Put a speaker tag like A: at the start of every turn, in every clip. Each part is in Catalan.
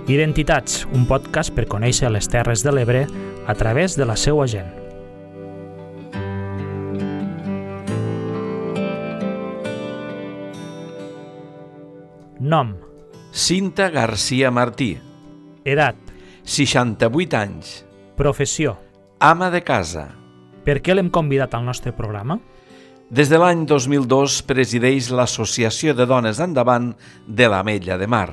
A: Identitats, un podcast per conèixer les Terres de l'Ebre a través de la seua gent. Nom:
B: Cinta García Martí.
A: edat,
B: 68 anys.
A: professió.
B: Ama de casa.
A: Per què l'hem convidat al nostre programa?
B: Des de l'any 2002 presideix l'Associació de Dones Endavant de l'Ametlla de Mar.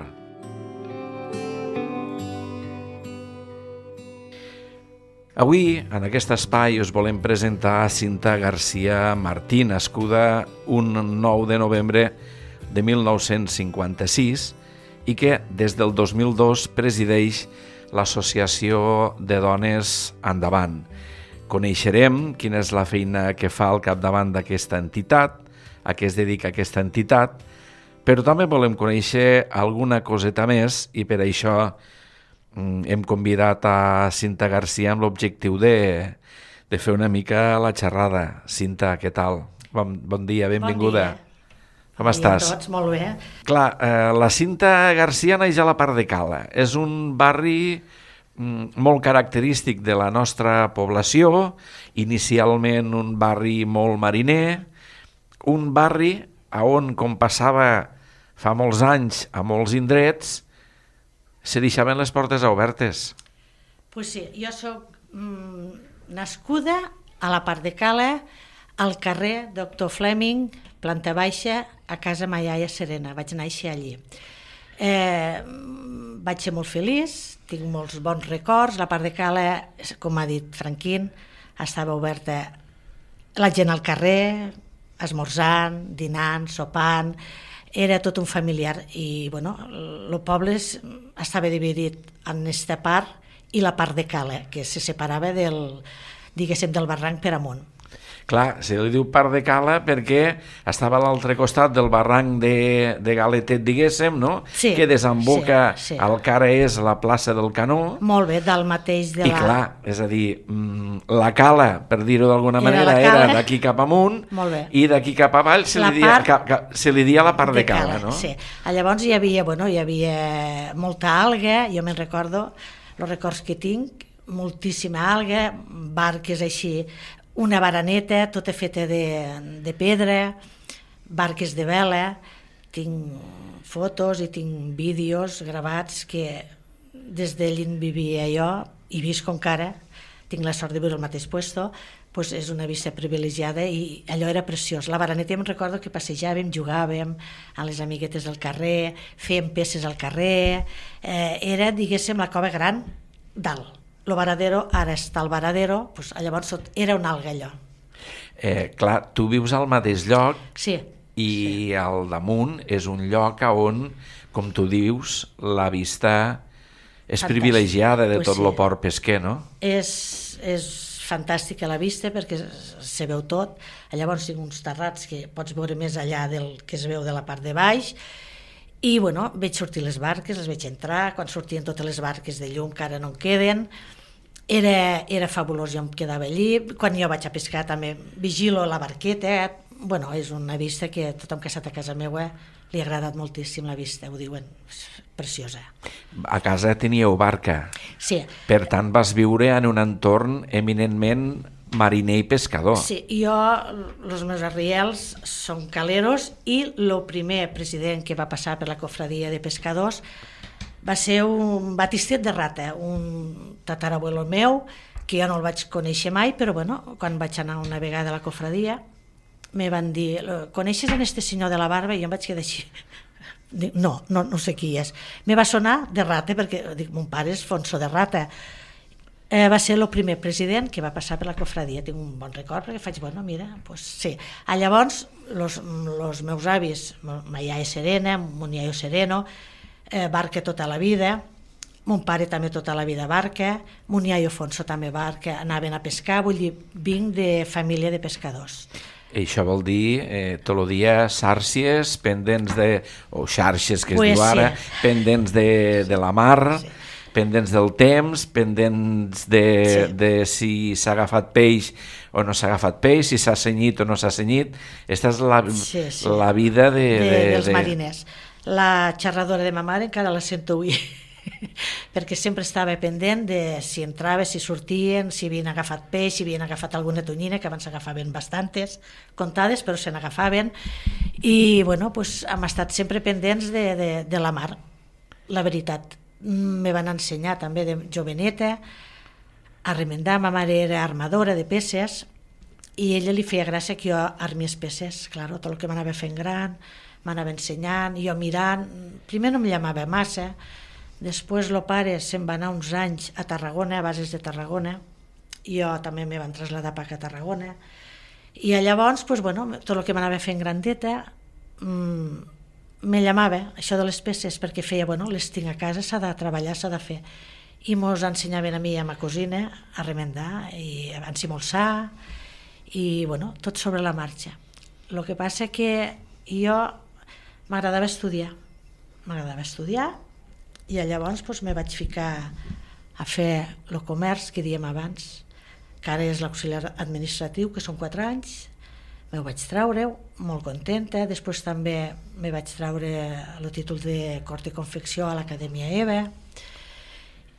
B: Avui, en aquest espai, us volem presentar Cinta García Martí, nascuda un 9 de novembre de 1956 i que des del 2002 presideix l'Associació de Dones Endavant. Coneixerem quina és la feina que fa al capdavant d'aquesta entitat, a què es dedica aquesta entitat, però també volem conèixer alguna coseta més i per això hem convidat a Cinta García amb l'objectiu de fer una mica la xerrada. Cinta, què tal? Bon dia, benvinguda.
C: Bon dia.
B: Com estàs?
C: Tots, molt bé.
B: Clar, la Cinta García naix a la Part de Cala. És un barri molt característic de la nostra població, inicialment un barri molt mariner, un barri on, com passava fa molts anys a molts indrets, se deixaven les portes obertes.
C: Pues sí, jo soc nascuda a la Part de Cala, al carrer Doctor Fleming, planta baixa, a casa ma iaia Serena. Vaig néixer allí. Vaig ser molt feliç, tinc molts bons records. La Part de Cala, com ha dit Franquín, estava oberta la gent al carrer, esmorzant, dinant, sopant. Era tot un familiar i bueno, el poble estava dividit en aquesta part i la Part de Cala, que se separava del barranc per amunt.
B: Clar, se li diu Part de Cala perquè estava a l'altre costat del barranc de Galetet, diguéssim, no?
C: Sí,
B: que desemboca
C: sí.
B: al que ara és la plaça del Canó.
C: Molt bé, del mateix de
B: I clar, és a dir, la cala, per dir-ho d'alguna manera, era d'aquí cap amunt i d'aquí cap avall se li dia la Part de Cala, no?
C: Sí, llavors hi havia molta alga, jo me'n recordo, els records que tinc, moltíssima alga, barques així, una baraneta tota feta de pedra, barques de vela, tinc fotos i tinc vídeos gravats que des d'allí vivia jo i visc encara, tinc la sort de viure al mateix puesto, doncs és una vista privilegiada i allò era preciós. La baraneta em recordo que passejàvem, jugàvem a les amiguetes del carrer, fèiem peces al carrer, era, diguéssim, la cova gran dalt. El varadero, ara està el varadero, doncs llavors era una alga allò.
B: Clar, tu vius al mateix lloc i al damunt és un lloc on, com tu dius, la vista és privilegiada de tot el port pesquer, no?
C: És fantàstica la vista perquè se veu tot. Llavors tinc uns terrats que pots veure més allà del que es veu de la part de baix. I bueno, veig sortir les barques, les veig entrar, quan sortien totes les barques de llum que ara no en queden, era fabulós, jo em quedava allí, quan jo vaig a pescar també vigilo la barqueta, bueno, és una vista que tothom que ha estat a casa meva li ha agradat moltíssim la vista, ho diuen, preciosa.
B: A casa teníeu barca,
C: sí.
B: Per tant vas viure en un entorn eminentment mariner i pescador.
C: Sí, jo, els meus arriels són caleros i el primer president que va passar per la cofradia de pescadors va ser un batistet de Rata, un tatarabuelo meu, que jo no el vaig conèixer mai, però bueno, quan vaig anar una vegada a la cofradia me van dir, coneixes en este senyor de la barba? I jo em vaig quedar així, no sé qui és. Me va sonar de Rata, perquè dic, mon pare és Fonso de Rata. Va ser el primer president que va passar per la cofradia. Tinc un bon record perquè faig, bueno, mira, doncs sí. Llavors, els meus avis, ma iaia Serena, mon iaio Sereno, barca tota la vida, mon pare també tota la vida barca, mon iaio Fonso també barca, anaven a pescar, vull dir, vinc de família de pescadors.
B: I això vol dir tot el dia sàrcies pendents o xarxes que es diu ara, pendents de la mar, pendents del temps, pendents de si s'ha agafat peix o no s'ha agafat peix, si s'ha cenyit o no s'ha cenyit. Aquesta és la vida
C: dels mariners. La xerradora de ma mare encara la sento avui perquè sempre estava pendent de si entrava, si sortien, si havien agafat peix, si havien agafat alguna tonyina, que abans s'agafaven bastantes, comptades, però se n'agafaven, i bueno, pues, hem estat sempre pendents de la mar, la veritat. Me van ensenyar també de joveneta a remendar. Ma mare era armadora de peces i ella li feia gràcia que jo armies peces, clar, tot el que m'anava fent gran, m'anava ensenyant, jo mirant. Primer no em llamava massa, després el pare se'n va anar uns anys a Tarragona, a bases de Tarragona, i jo també me van traslladar per a Tarragona, i llavors pues, bueno, tot el que m'anava fent grandeta me llamava això de les peces, perquè feia, bueno, les tinc a casa, s'ha de treballar, s'ha de fer, i mos ensenyaven a mi i a ma cosina a remendar i a encimolsar, i bueno, tot sobre la marxa. El que passa que jo m'agradava estudiar i llavors doncs, me vaig ficar a fer el comerç que diem abans, que ara és l'auxiliar administratiu, que són 4 anys, me ho vaig treure, molt contenta. Després també me vaig treure el títol de cort i confecció a l'Acadèmia EVA,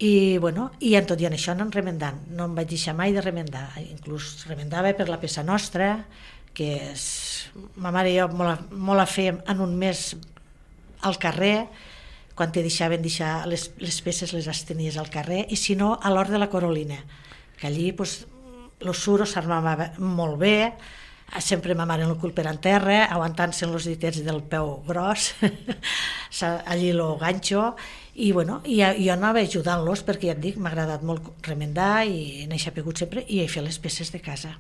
C: i bueno, i en tot i en això no remendant, no em vaig deixar mai de remendar, inclús remendava per la peça nostra, que ma mare i jo molt la fèiem en un mes al carrer, quan te deixaven deixar les peces les tenies al carrer, i si no a l'hort de la Corolina, que allí pues, el suro s'armava molt bé, sempre ma mare en el cul per en terra, aguantant-se els ditets del peu gros, allí el ganxo, i bueno, jo anava ajudant-los perquè ja et dic, m'ha agradat molt remendar i n'he sapigut sempre i he fet les peces de casa.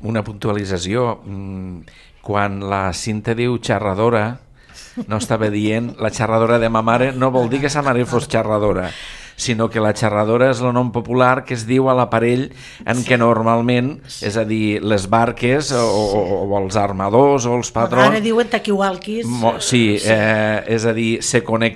B: Una puntualització, quan la Cinta diu xerradora, no estava dient la xerradora de ma mare, no vol dir que sa mare fos xerradora, sinó que la xerradora és el nom popular que es diu a l'aparell en què normalment, és a dir, les barques o els armadors o els patrons...
C: Ara diuen taquiwalquis.
B: Sí, és a dir,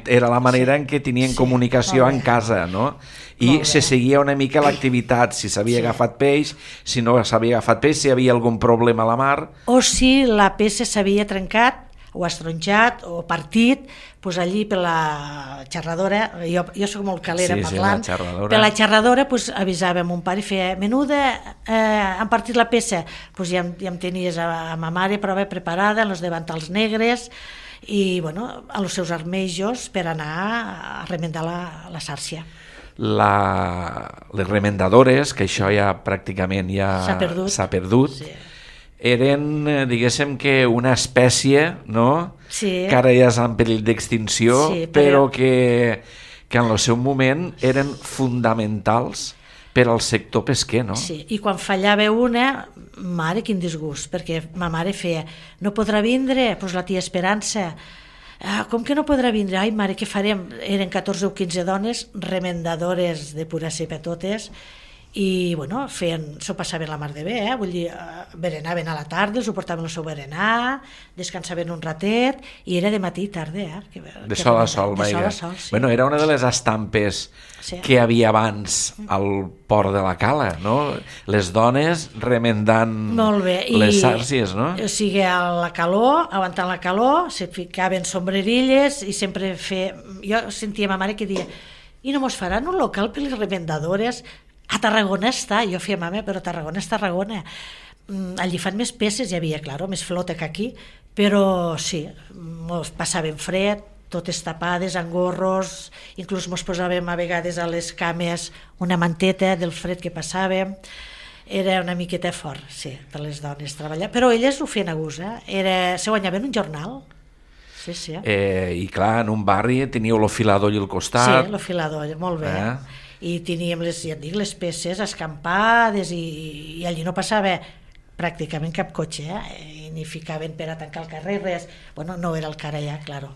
B: era la manera en què tenien comunicació en casa, no? I se seguia una mica l'activitat, si s'havia agafat peix, si no s'havia agafat peix, si hi havia algun problema a la mar...
C: O si la peça s'havia trencat, o estronjat o partit, doncs allí per la xerradora, jo soc molt calera parlant, per la xerradora avisava mon pare i feia, menuda, han partit la peça, doncs ja em tenies a ma mare prou preparada, en els davantals negres, i bueno, a els seus armejos per anar a remendar la sàrcia.
B: Les remendadores, que això ja pràcticament s'ha perdut, eren, diguéssim, que una espècie, no?
C: Sí.
B: Que ara ja és en perill d'extinció, sí, però que en el seu moment eren fonamentals per al sector pesquer, no?
C: Sí, i quan fallava una, mare, quin disgust, perquè ma mare feia, no podrà vindre, doncs la tia Esperança, com que no podrà vindre? Ai, mare, què farem? Eren 14 o 15 dones, remendadores de pura cepa totes, i bueno, s'ho passaven la mar de bé, vull dir, berenaven a la tarda, els ho portaven el seu berenar, descansaven un ratet, i era de matí i tarda.
B: De sol a sol, vaja.
C: Sí.
B: Bueno, era una de les estampes que hi havia abans al port de la Cala, no? Les dones remendant les sàrcies, no?
C: O sigui, a la calor, aguantant la calor, se ficaven sombrerilles i sempre jo sentia ma mare que dia, i no mos faran un local per les remendadores? A Tarragona està, jo feia mama, però Tarragona és Tarragona. Allí fan més peces, hi havia, clar, més flota que aquí, però sí, mos passaven fred, totes tapades, amb gorros, inclús mos posàvem a vegades a les cames una manteta del fred que passàvem. Era una miqueta fort, sí, per les dones treballar, però elles ho feien a gust, se guanyaven un jornal. Sí, sí.
B: I clar, en un barri teníeu l'ofiladoll al costat.
C: Sí, l'ofiladoll, molt bé. I teníem les peces escampades i allí no passava pràcticament cap cotxe, ni ficaven per a tancar el carrer, res. Bueno, no era el que ara ja, claro.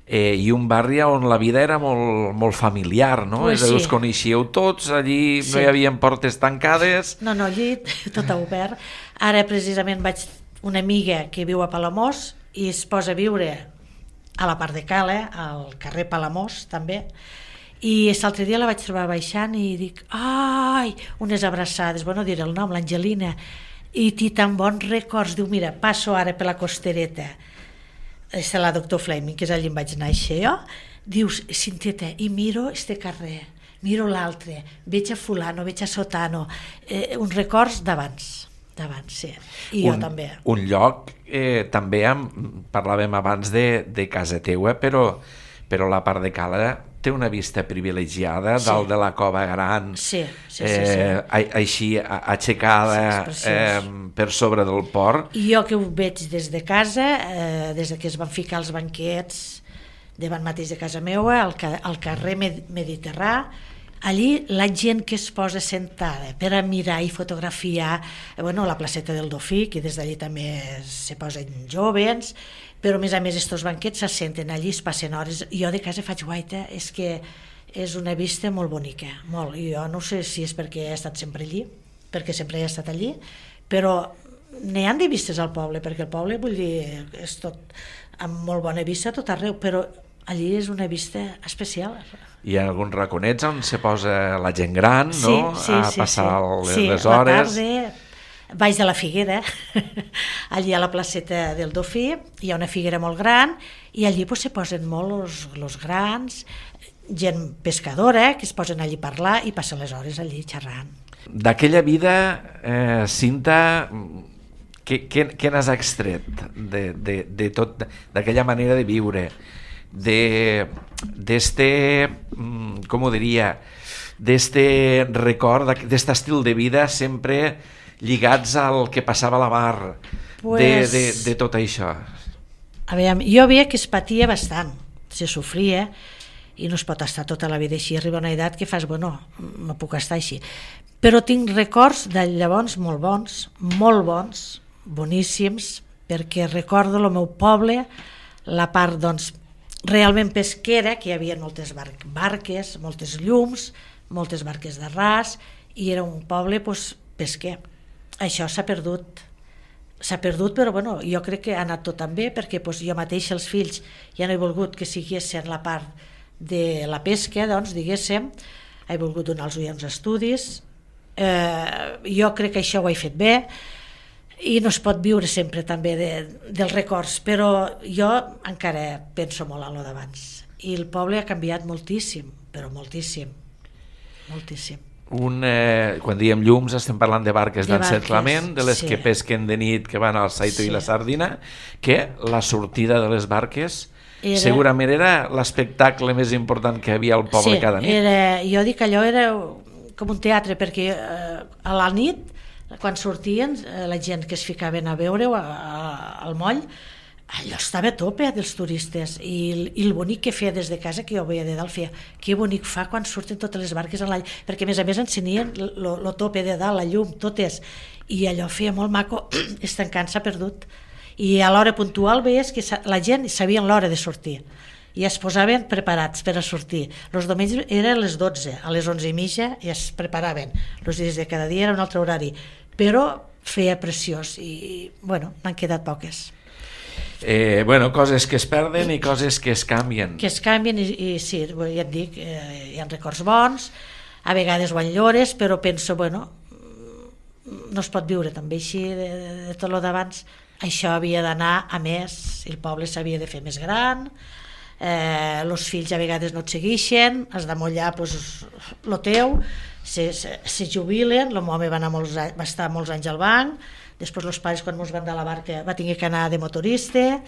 B: I un barri on la vida era molt familiar, no?
C: Pues sí.
B: Us coneixíeu tots, allí no hi havia portes tancades.
C: No, allí tot obert. Ara precisament vaig una amiga que viu a Palamós i es posa a viure a la part de Cala, al carrer Palamós també, i l'altre dia la vaig trobar baixant i dic, ai, unes abraçades, bueno, diré el nom, l'Angelina, i té tan bons records, diu, mira, passo ara per la costereta, és la doctor Fleming, que és allà on vaig néixer jo, dius, Cintieta, i miro este carrer, miro l'altre, veig a fulano, veig a sotano, uns records d'abans, sí, i jo també.
B: Un lloc, també parlàvem abans de casa teua, però la part de Cala té una vista privilegiada dalt de la cova gran,
C: sí.
B: així aixecada per sobre del port.
C: I jo que ho veig des de casa, des que es van ficar els banquets davant mateix de casa meva, al carrer Mediterrà, allí la gent que es posa sentada per a mirar i fotografiar, la placeta del Dofí, que des d'allí també se posen jóvens, però a més estos banquets s'assenten allí, es passen hores. Jo de casa faig guaita, és que és una vista molt bonica, molt. I jo no sé si és perquè he estat sempre allí, perquè sempre he estat allí, però n'hi han de vistes al poble, perquè el poble, vull dir, és tot amb molt bona vista tot arreu, però allí és una vista especial.
B: Hi ha alguns raconets on se posa la gent gran, no? A passar les hores.
C: Sí, a la tarda, baix de la Figuera, allí a la placeta del Dofí, hi ha una figuera molt gran, i allí se posen molt els grans, gent pescadora, que es posen allí a parlar i passen les hores allí xerrant.
B: D'aquella vida, Cinta, què n'has extret de tot, d'aquella manera de viure, d'este, com ho diria, d'este record, d'este estil de vida sempre lligats al que passava a la mar, de tot això?
C: A veure, jo veia que es patia bastant, se sofria, i no es pot estar tota la vida així, arriba una edat que fas, no puc estar així. Però tinc records de llavors molt bons, boníssims, perquè recordo el meu poble, la part, realment pesquera, que hi havia moltes barques, moltes llums, moltes barques de ras, i era un poble pesquer. Això s'ha perdut, però jo crec que ha anat tot tan bé, perquè jo mateix els fills ja no he volgut que siguessin la part de la pesca, diguéssim, he volgut donar als uns estudis, jo crec que això ho he fet bé, i no es pot viure sempre també dels records, però jo encara penso molt en lo d'abans, i el poble ha canviat moltíssim, però moltíssim.
B: Quan diem llums estem parlant de barques d'encerclament, de les que pesquen de nit, que van al Saito i la Sardina, que la sortida de les barques segurament era l'espectacle més important que havia al poble cada nit.
C: Jo dic que allò era com un teatre, perquè a la nit, quan sortien, la gent que es ficaven a veure al moll, allò estava a tope dels turistes, i el bonic que feia des de casa, que jo veia de dalt, feia que bonic fa quan surten totes les barques en l'aigua, perquè a més encenien el tope de dalt, la llum, totes, i allò feia molt maco. Estancant s'ha perdut, i a l'hora puntual veies que la gent sabia l'hora de sortir i es posaven preparats per a sortir. Els diumenges era a les 12, a les 11:30 ja es preparaven. Els dies de cada dia era un altre horari, però feia preciós, i n'han quedat poques.
B: Coses que es perden i coses que es canvien.
C: Que es canvien, i sí, ja et dic, hi ha records bons, a vegades ho enllores, però penso, no es pot viure també així de tot el d'abans. Això havia d'anar a més, el poble s'havia de fer més gran, els fills a vegades no et segueixen, has de mullar el teu, se jubilen, el meu home va estar molts anys al banc, després els pares, quan ens van de la barca, va tenir que anar de motorista,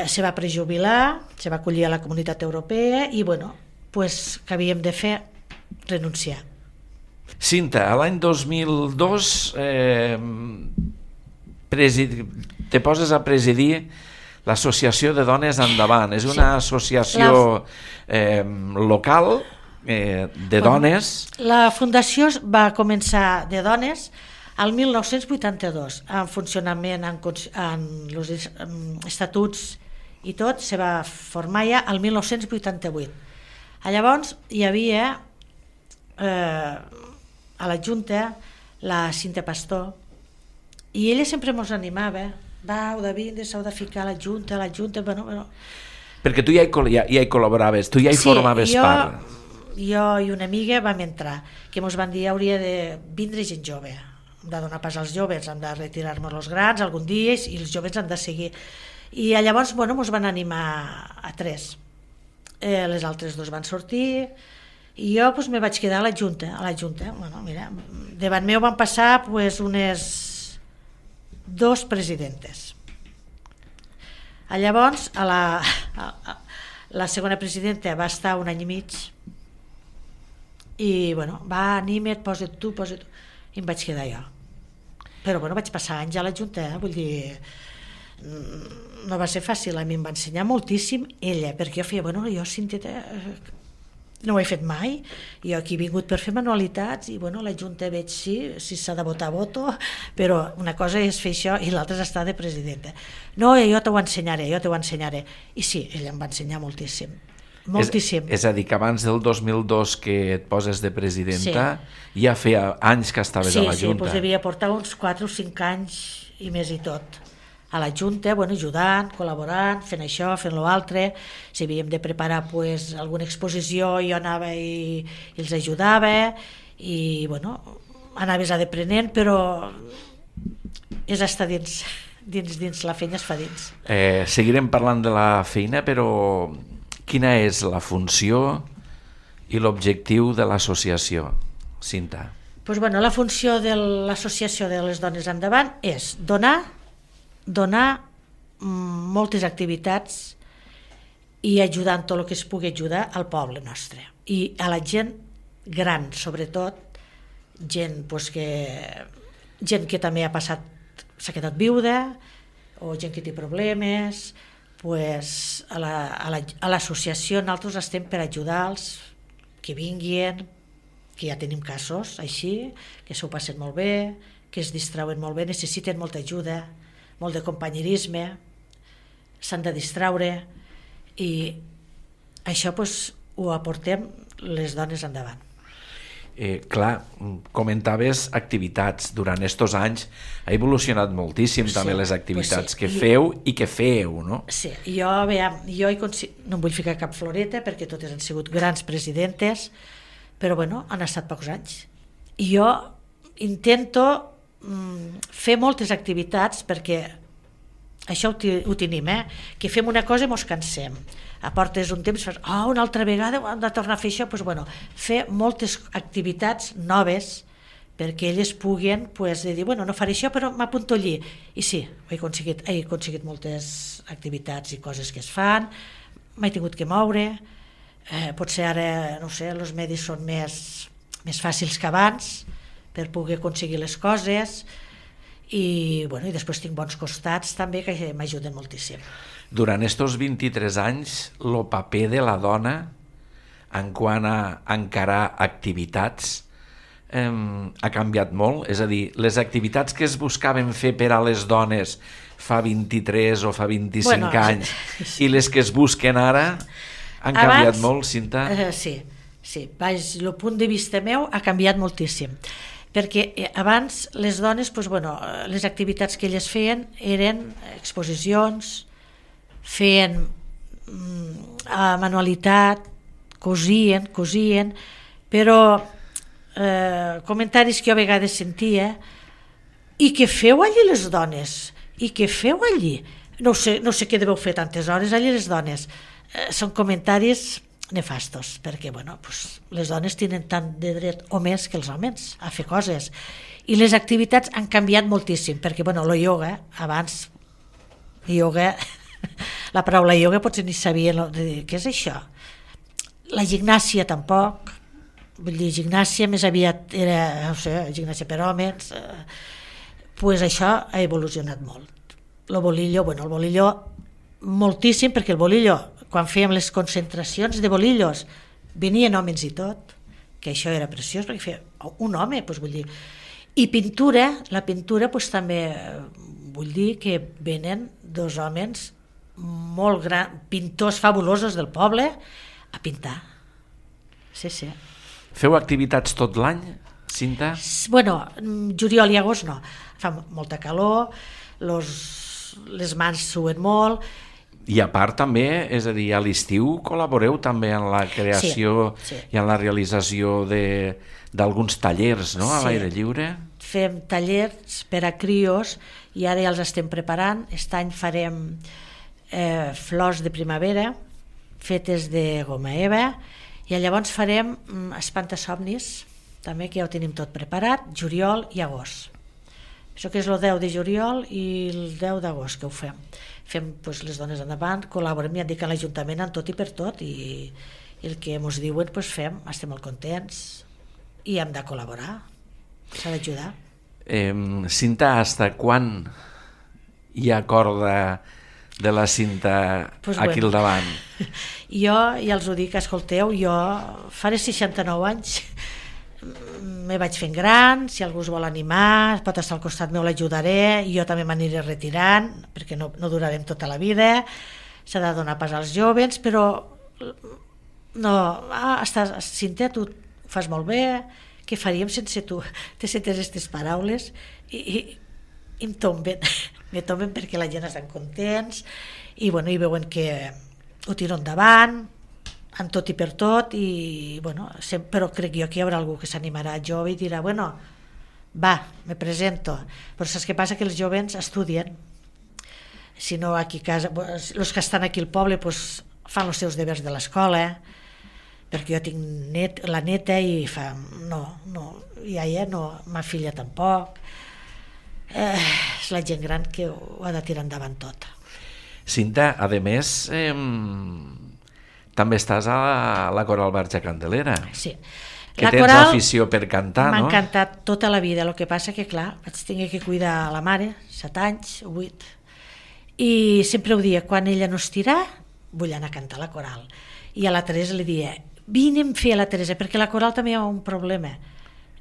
C: se va prejubilar, se va acollir a la Comunitat Europea, i que havíem de fer? Renunciar.
B: Cinta, a l'any 2002 te poses a presidir l'Associació de Dones Endavant. És una associació local de dones.
C: La fundació va començar de dones al 1982, en funcionament, en els estatuts i tot, se va formar ja al 1988. Llavors hi havia a la Junta la Cinta Pastor, i ella sempre ens animava, heu de vindre, s'heu de ficar a la Junta,
B: Perquè tu ja hi col·laboraves, tu ja hi formaves part.
C: Jo i una amiga vam entrar, que ens van dir hauria de vindre gent jove, hem de donar pas als joves, hem de retirar-nos els grans algun dia, i els joves han de seguir. I llavors ens van animar a tres. les altres dos van sortir, i jo doncs, me vaig quedar a la Junta. Bueno, mira, davant meu van passar doncs, unes 2 presidentes. Llavors, la segona presidenta va estar 1 any i mig, i bueno, va, anima't, posa't tu, i em vaig quedar jo. Però bueno, vaig passar anys a la Junta, vull dir, no va ser fàcil, a mi em va ensenyar moltíssim ella, perquè jo feia, bueno, jo Cíntia no ho he fet mai, jo aquí he vingut per fer manualitats, i bueno, la Junta veig si s'ha de votar, voto, però una cosa és fer això i l'altra és estar de presidenta. No, jo t'ho ensenyaré, i sí, ella em va ensenyar moltíssim. Moltíssim.
B: És a dir, que abans del 2002 que et poses de presidenta, ja feia anys que estaves a la Junta.
C: Sí, doncs devia portar uns 4 o 5 anys i més i tot a la Junta, bueno, ajudant, col·laborant, fent això, fent l'altre. Si havíem de preparar pues, alguna exposició, jo anava i els ajudava, i bueno, anaves aprenent, però és estar dins la feina, es fa dins.
B: Seguirem parlant de la feina, però quina és la funció i l'objectiu de l'associació, Cinta?
C: Pues bueno, la funció de l'associació de les dones endavant és donar moltes activitats i ajudar en tot el que es pugui ajudar al poble nostre i a la gent gran, sobretot gent que també s'ha quedat viuda, o gent que té problemes. Pues a l'associació nosaltres estem per ajudar-los, que vinguin, que ja tenim casos així, que s'ho passen molt bé, que es distrauen molt bé, necessiten molta ajuda, molt de companyerisme, s'han de distraure, i això pues, ho aportem les dones endavant.
B: Clar, comentaves activitats. Durant aquests anys ha evolucionat moltíssim també les activitats que feu i que feu, no?
C: Sí, jo no em vull ficar cap floreta perquè totes han sigut grans presidentes, però bueno, han estat pocs anys. I jo intento fer moltes activitats perquè això ho tenim, que fem una cosa i mos cansem. Aportes un temps, fas, una altra vegada hem de tornar a fer això, doncs, bueno, fer moltes activitats noves perquè elles puguin dir, bueno, no faré això però m'apunto allí, i sí, he aconseguit moltes activitats i coses que es fan, m'he tingut que moure, potser ara, no sé, els medis són més fàcils que abans per poder aconseguir les coses, i després tinc bons costats també que m'ajuden moltíssim.
B: Durant aquests 23 anys, el paper de la dona en quant a encarar activitats ha canviat molt? És a dir, les activitats que es buscaven fer per a les dones fa 23 o fa 25 anys i les que es busquen ara han canviat molt, Cinta?
C: Sí. El punt de vista meu ha canviat moltíssim. Perquè abans les dones, les activitats que elles feien eren exposicions, feien manualitat, cosien, però comentaris que jo a vegades sentia, i què feu allí les dones? I què feu allí? No sé què deveu fer tantes hores allí les dones. Són comentaris nefastos, perquè les dones tenen tant de dret o més que els homes a fer coses, i les activitats han canviat moltíssim, perquè el ioga, abans la paraula ioga potser ni sabia què és això, la gimnàsia tampoc, vull dir, gimnàsia més aviat era, no sé, gimnàsia per homes, això ha evolucionat molt. El bolillo moltíssim, perquè el bolillo, quan fèiem les concentracions de bolillos, venien homes i tot, que això era preciós, perquè feia un home, vull dir. I la pintura també vull dir que venen 2 homes molt grans, pintors fabulosos del poble, a pintar. Sí.
B: Feu activitats tot l'any, Cinta?
C: Juliol i agost no. Fa molta calor, les mans suen molt.
B: I a part també, és a dir, a l'estiu col·laboreu també en la creació i en la realització d'alguns tallers, no?, a l'aire lliure?
C: Fem tallers per a crios i ara ja els estem preparant. Aquest any farem flors de primavera, fetes de goma eva, i llavors farem espantasomnis, també, que ja ho tenim tot preparat, juliol i agost. Això que és el 10 de juliol i el 10 d'agost que ho fem. Fem doncs, les dones endavant, col·laborem, ja dic, a l'Ajuntament en tot i per tot, i el que ens diuen doncs, fem, estem molt contents i hem de col·laborar, s'ha d'ajudar.
B: Cinta, hasta quan hi ha corda de la cinta aquí al davant?
C: Jo ja els ho dic, escolteu, jo faré 69 anys, me vaig fent gran, si algú es vol animar, pot estar al costat meu, l'ajudaré, i jo també m'aniré retirant, perquè no durarem tota la vida, s'ha de donar pas als joves, però no, Cinta, tu fas molt bé, què faríem sense tu? Te sentes aquestes paraules i em tomben, perquè la gent estan contents i veuen que ho tiro endavant, en tot i per tot, i però crec jo que hi haurà algú que s'animarà jove i dirà, va, me presento. Però saps què passa? Que els joves estudien, si no aquí a casa, els que estan aquí al poble fan els seus deures de l'escola, perquè jo tinc la neta i fa, iaia no, ma filla tampoc, és la gent gran que ho ha de tirar endavant tot.
B: Cinta, a més, també estàs a la Coral Verge Candelera.
C: Sí.
B: Que tens afició per cantar, no?
C: M'ha encantat tota la vida, el que passa que, clar, vaig tenir que cuidar la mare, 7 anys, 8, i sempre ho dia, quan ella no estirà, vull anar a cantar a la Coral. I a la Teresa li dia, vine'm fer a la Teresa, perquè la Coral també hi ha un problema.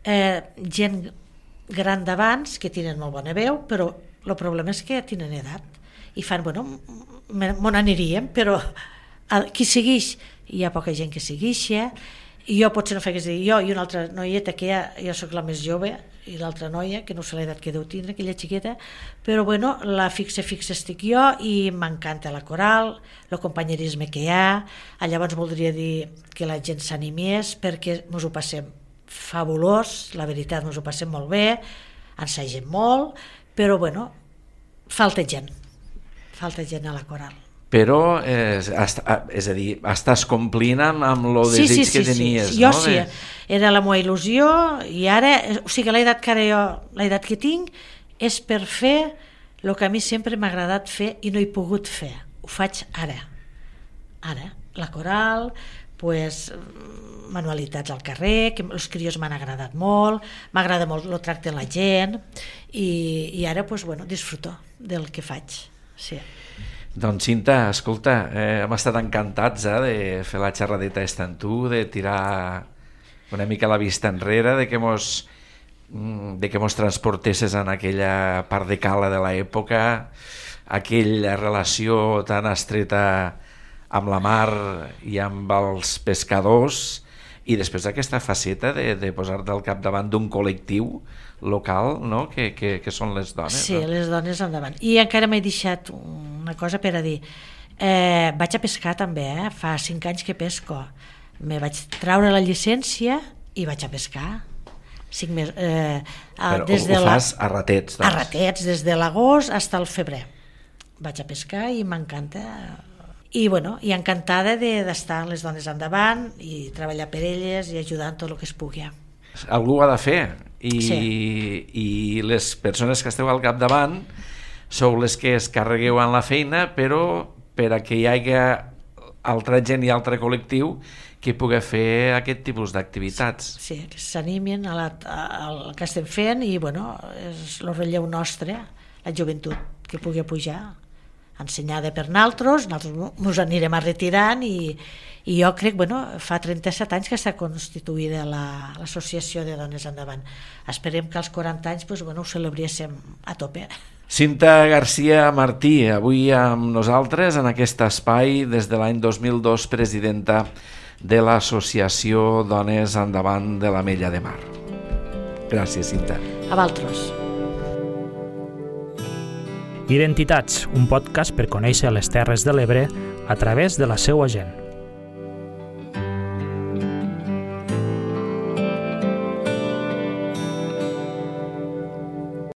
C: Gent gran d'abans, que tenen molt bona veu, però el problema és que tenen edat, i fan, me n'aniríem, però qui segueix, hi ha poca gent que seguixa, i jo potser no faig dir, jo i una altra noieta que jo soc la més jove, i l'altra noia, que no sé l'edat que deu tindre, aquella xiqueta, però la fixa estic jo, i m'encanta la coral, el companyerisme que hi ha. Llavors voldria dir que la gent s'animés, perquè ens ho passem fabulós, la veritat, ens ho passem molt bé, ensagem molt, però falta gent a la coral.
B: Però, és a dir, estàs complint amb el desig que tenies,
C: no?
B: Jo
C: sí, era la meva il·lusió, i ara, l'edat que tinc és per fer el que a mi sempre m'ha agradat fer i no he pogut fer, ho faig ara, la coral, manualitats al carrer, que els crios m'han agradat molt, m'agrada molt el tracte de la gent, i ara disfruto del que faig, sí.
B: Doncs Cinta, escolta, hem estat encantats de fer la xerradeta amb tu, de tirar una mica la vista enrere, de que mos transportesses en aquella part de cala de l'època, aquella relació tan estreta amb la mar i amb els pescadors, i després aquesta faceta de posar-te al capdavant d'un col·lectiu local, no? que són les dones.
C: Sí,
B: no?
C: Les dones endavant. I encara m'he deixat una cosa per a dir. Vaig a pescar també, fa 5 anys que pesco. Me vaig treure la llicència i vaig a pescar. 5 mesos.
B: Però ho fas a ratets, doncs? A
C: ratets, des de l'agost fins al febrer. Vaig a pescar i m'encanta. I encantada d'estar les dones endavant i treballar per elles i ajudar en tot el que es pugui.
B: Algú ho ha de fer,
C: sí.
B: I les persones que esteu al capdavant sou les que es carregueu en la feina, però per a que hi hagi altra gent i altre col·lectiu que pugui fer aquest tipus d'activitats.
C: Sí, que s'animin al que estem fent, i és el relleu nostre, la joventut, que pugui pujar, ensenyada per nosaltres ens anirem retirant, i jo crec, fa 37 anys que està constituïda l'associació de Dones Endavant. Esperem que als 40 anys ho celebréssim a tope.
B: Cinta García Martí, avui amb nosaltres en aquest espai, des de l'any 2002, presidenta de l'associació Dones Endavant de l'Ametlla de Mar. Gràcies, Cinta.
C: A vosaltres.
A: Identitats, un podcast per conèixer les Terres de l'Ebre a través de la seua gent.